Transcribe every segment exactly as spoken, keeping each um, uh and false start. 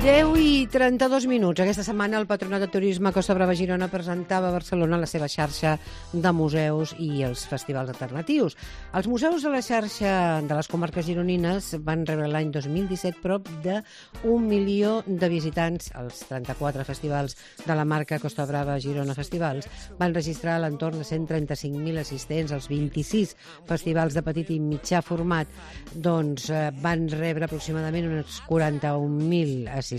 deu i trenta-dos minuts. Aquesta setmana el Patronat de Turisme Costa Brava Girona presentava a Barcelona la seva xarxa de museus i els festivals alternatius. Els museus de la xarxa de les comarques gironines van rebre l'any dos mil disset prop d'un milió de visitants. Els trenta-quatre festivals de la marca Costa Brava Girona Festivals van registrar a l'entorn de cent trenta-cinc mil assistents. Els vint-i-sis festivals de petit i mitjà format doncs, van rebre aproximadament uns quaranta-un mil assistents.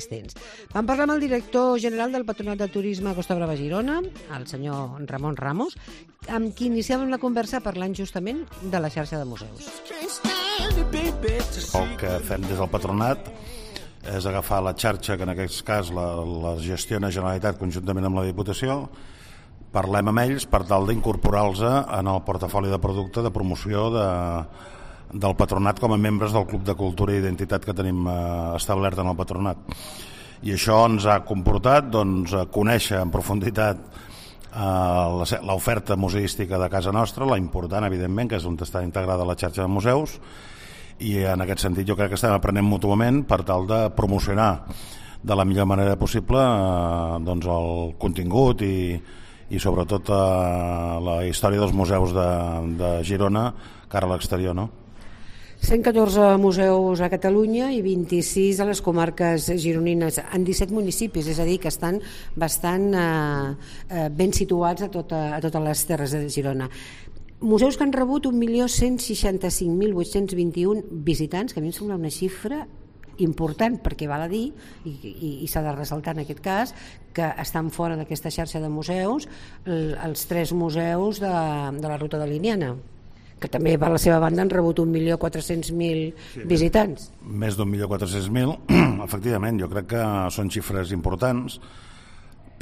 Vam parlar amb el director general del Patronat de Turisme Costa Brava Girona, el senyor Ramon Ramos, amb qui iniciàvem la conversa parlant justament de la xarxa de museus. El que fem des del Patronat és agafar la xarxa, que en aquest cas la, la gestiona Generalitat conjuntament amb la Diputació, parlem amb ells per tal d'incorporar-los en el portafoli de producte de promoció de, del Patronat com a membres del Club de Cultura i Identitat que tenim eh, establert en el Patronat. I això ens ha comportat doncs, conèixer en profunditat eh, l'oferta museística de casa nostra, la important, evidentment, que és on està integrada la xarxa de museus, i en aquest sentit jo crec que estem aprenent mútuament per tal de promocionar de la millor manera possible eh, doncs el contingut i, i sobretot eh, la història dels museus de, de Girona cara a l'exterior, no? cent catorze museus a Catalunya i vint-i-sis a les comarques gironines, en disset municipis, és a dir, que estan bastant eh, eh, ben situats a, tota, a totes les terres de Girona. Museus que han rebut un milió cent seixanta-cinc mil vuit-cents vint-i-un visitants, que a mi em sembla una xifra important, perquè val a dir, i, i, i s'ha de ressaltar en aquest cas, que estan fora d'aquesta xarxa de museus el, els tres museus de, de la Ruta de Liniana, que també per la seva banda han rebut un milió quatre-cents mil sí, visitants. Més d'un milió quatre-cents mil, efectivament, jo crec que són xifres importants,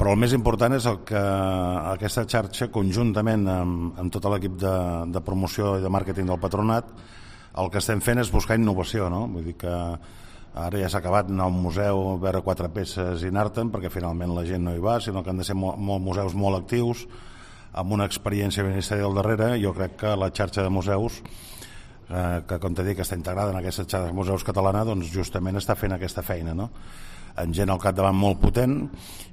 però el més important és el que aquesta xarxa, conjuntament amb, amb tot l'equip de, de promoció i de màrqueting del Patronat, el que estem fent és buscar innovació, no? Vull dir que ara ja s'ha acabat anar a un museu, veure quatre peces i anar-te'n, perquè finalment la gent no hi va, sinó que han de ser molt, molt museus molt actius, amb una experiència ministerial darrere. Jo crec que la xarxa de museus, eh, que com t'he dit que està integrada en aquesta xarxa de museus catalana, doncs justament està fent aquesta feina, no? En gent al capdavant molt potent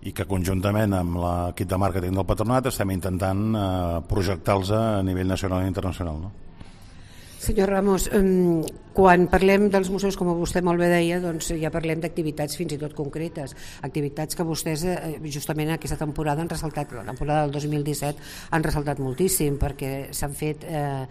i que conjuntament amb l'equip de màrqueting del Patronat estem intentant eh, projectar-los a nivell nacional i internacional, no? Senyor Ramos, quan parlem dels museus, com vostè molt bé deia, doncs ja parlem d'activitats fins i tot concretes, activitats que vostès justament aquesta temporada han ressaltat, la temporada del dos mil disset han ressaltat moltíssim, perquè s'han fet eh,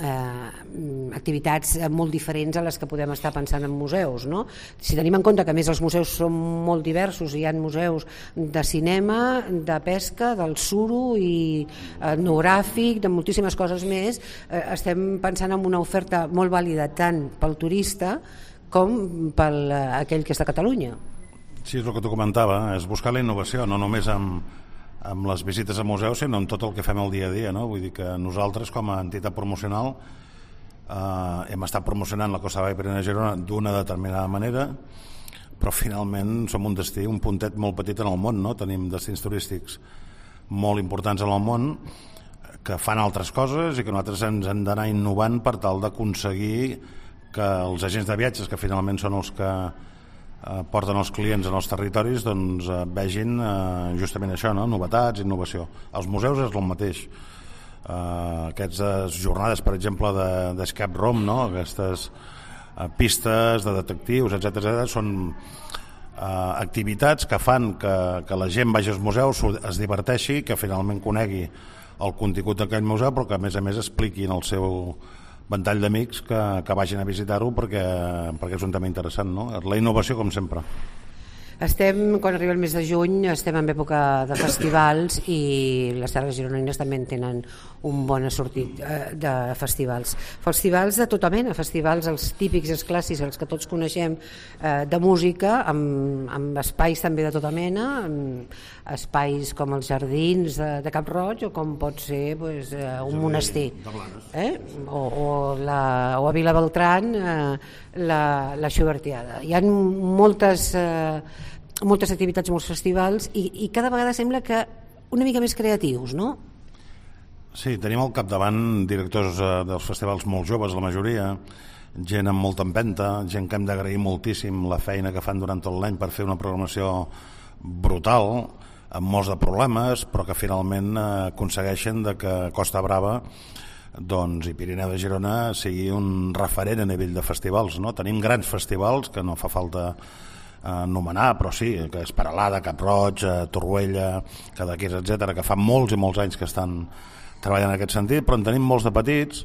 eh, activitats molt diferents a les que podem estar pensant en museus, no? Si tenim en compte que a més els museus són molt diversos, hi ha museus de cinema, de pesca, del suro i etnogràfic, de moltíssimes coses més, eh, estem pensant en una oferta molt vàlida tant pel turista com pel aquell que és de Catalunya. Sí, és el que tu comentava, és buscar la innovació, no només amb, amb les visites a museus, sinó amb tot el que fem el dia a dia, no? Vull dir que nosaltres, com a entitat promocional, eh, hem estat promocionant la Costa Brava i Pirineu Girona d'una determinada manera, però finalment som un destí, un puntet molt petit en el món, no? Tenim destins turístics molt importants en el món, que fan altres coses i que nosaltres ens hem d'anar innovant per tal d'aconseguir que els agents de viatges, que finalment són els que eh, porten els clients en els territoris, doncs eh, vegin eh, justament això, no? Novetats, innovació. Els museus és el mateix. Eh, aquestes jornades, per exemple, de, d'escape room, no? Aquestes eh, pistes de detectius, etcètera, etcètera, són eh, activitats que fan que, que la gent vagi als museus, es diverteixi, que finalment conegui el contingut d'aquell museu, però que a més a més expliquin el seu ventall d'amics que, que vagin a visitar-ho perquè, perquè és un tema interessant, no? La innovació, com sempre. Estem, quan arriba el mes de juny, estem en època de festivals i les terres gironines també tenen un bon assortit de festivals. Festivals de tota mena, festivals els típics, els clàssics, els que tots coneixem de música, amb, amb espais també de tota mena, amb espais com els jardins de, de Cap Roig o com pot ser pues, un monestir. Eh? O, o, la, o a Vila Beltrán eh, la, la Xubertiada. Hi ha moltes... Eh, moltes activitats, molts festivals i, i cada vegada sembla que una mica més creatius, no? Sí, tenim al capdavant directors eh, dels festivals molt joves, la majoria, gent amb molta empenta, gent que hem d'agrair moltíssim la feina que fan durant tot l'any per fer una programació brutal, amb molts de problemes, però que finalment eh, aconsegueixen de que Costa Brava doncs, i Pirineu de Girona sigui un referent a nivell de festivals, no? Tenim grans festivals que no fa falta anomenar, però sí, que és Peralada, Cap Roig, Torroella, Cadaqués, etcètera, que fa molts i molts anys que estan treballant en aquest sentit, però en tenim molts de petits,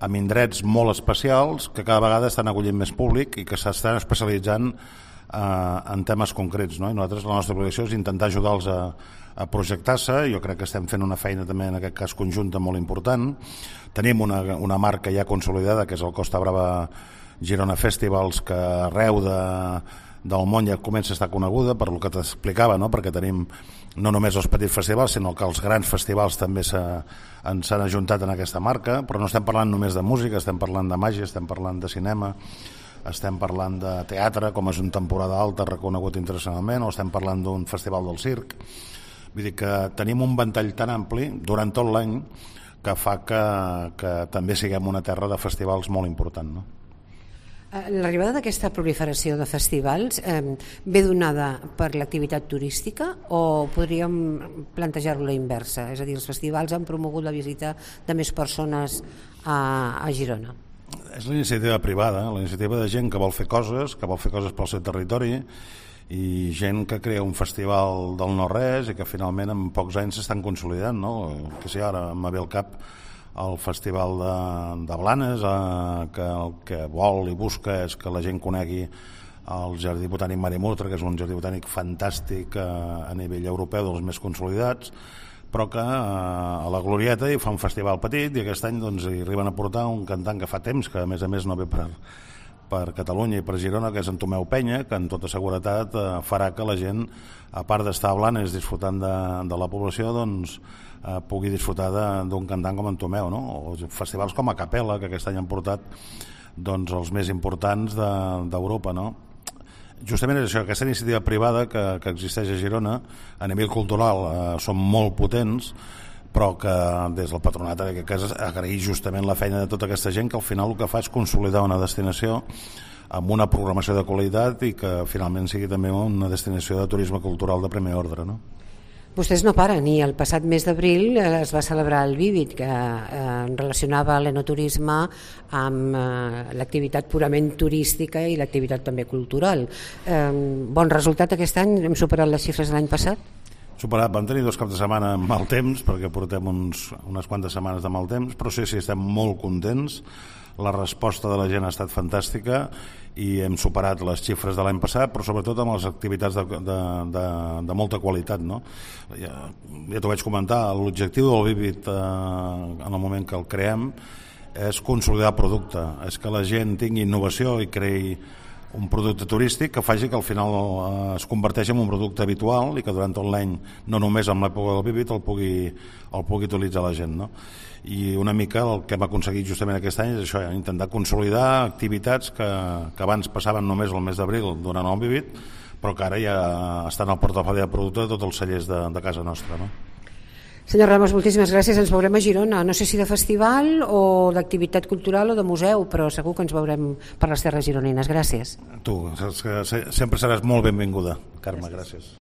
amb indrets molt especials, que cada vegada estan acollint més públic i que s'estan especialitzant eh, en temes concrets, no? I nosaltres la nostra obligació és intentar ajudar-los a, a projectar-se. Jo crec que estem fent una feina també en aquest cas conjunta molt important. Tenim una, una marca ja consolidada, que és el Costa Brava Girona Festivals, que arreu de del món ja comença a estar coneguda per el que t'explicava, no? Perquè tenim no només els petits festivals, sinó que els grans festivals també s'han ajuntat en aquesta marca, però no estem parlant només de música, estem parlant de màgia, estem parlant de cinema, estem parlant de teatre, com és una temporada alta reconegut internacionalment, o estem parlant d'un festival del circ. Vull dir que tenim un ventall tan ampli durant tot l'any que fa que, que també siguem una terra de festivals molt important, no? L'arribada d'aquesta proliferació de festivals eh, ve donada per l'activitat turística o podríem plantejar-ho a la inversa? És a dir, els festivals han promogut la visita de més persones a, a Girona. És la iniciativa privada, la iniciativa de gent que vol fer coses, que vol fer coses pel seu territori i gent que crea un festival del no-res i que finalment en pocs anys s'estan consolidant, no? Que si ara em ve al cap el festival de, de Blanes, eh, que el que vol i busca és que la gent conegui el Jardí Botànic Marimurtra, que és un jardí botànic fantàstic eh, a nivell europeu, dels més consolidats, però que eh, a la Glorieta hi fa un festival petit i aquest any doncs, hi arriben a portar un cantant que fa temps, que a més a més no ve per, per Catalunya i per Girona, que és en Tomeu Penya, que en tota seguretat eh, farà que la gent, a part d'estar a Blanes disfrutant de, de la població, doncs eh, pugui disfrutar d'un cantant com en Tomeu, no? O festivals com a Capella, que aquest any han portat doncs, els més importants d'Europa, de, no? Justament és això, aquesta iniciativa privada que, que existeix a Girona, a nivell cultural eh, són molt potents, però que des del patronat en aquest cas agrair justament la feina de tota aquesta gent que al final el que fa és consolidar una destinació amb una programació de qualitat i que finalment sigui també una destinació de turisme cultural de primer ordre, no? Vostès no paren, i el passat mes d'abril es va celebrar el Vívid, que eh, relacionava l'enoturisme amb eh, l'activitat purament turística i l'activitat també cultural. Eh, bon resultat aquest any? Hem superat les xifres de l'any passat? Superat, vam tenir dos caps de setmana amb mal temps, perquè portem uns, unes quantes setmanes de mal temps, però sí, sí, estem molt contents. La resposta de la gent ha estat fantàstica i hem superat les xifres de l'any passat, però sobretot amb les activitats de, de, de, de molta qualitat, no? Ja, ja t'ho vaig comentar, l'objectiu del Vívid eh, en el moment que el creem és consolidar el producte, és que la gent tingui innovació i creï un producte turístic que faci que al final eh, es converteixi en un producte habitual i que durant tot l'any, no només en l'època del Vívid, el pugui, el pugui utilitzar la gent, no? I una mica el que hem aconseguit justament aquest any és això, eh, intentar consolidar activitats que, que abans passaven només el mes d'abril durant el Vívid, però que ara ja estan al portafoli de producte de tots els cellers de, de casa nostra, no? Senyor Ramos, moltíssimes gràcies. Ens veurem a Girona, no sé si de festival o d'activitat cultural o de museu, però segur que ens veurem per les terres gironines. Gràcies. Tu, saps que sempre seràs molt benvinguda, Carme, gràcies. gràcies.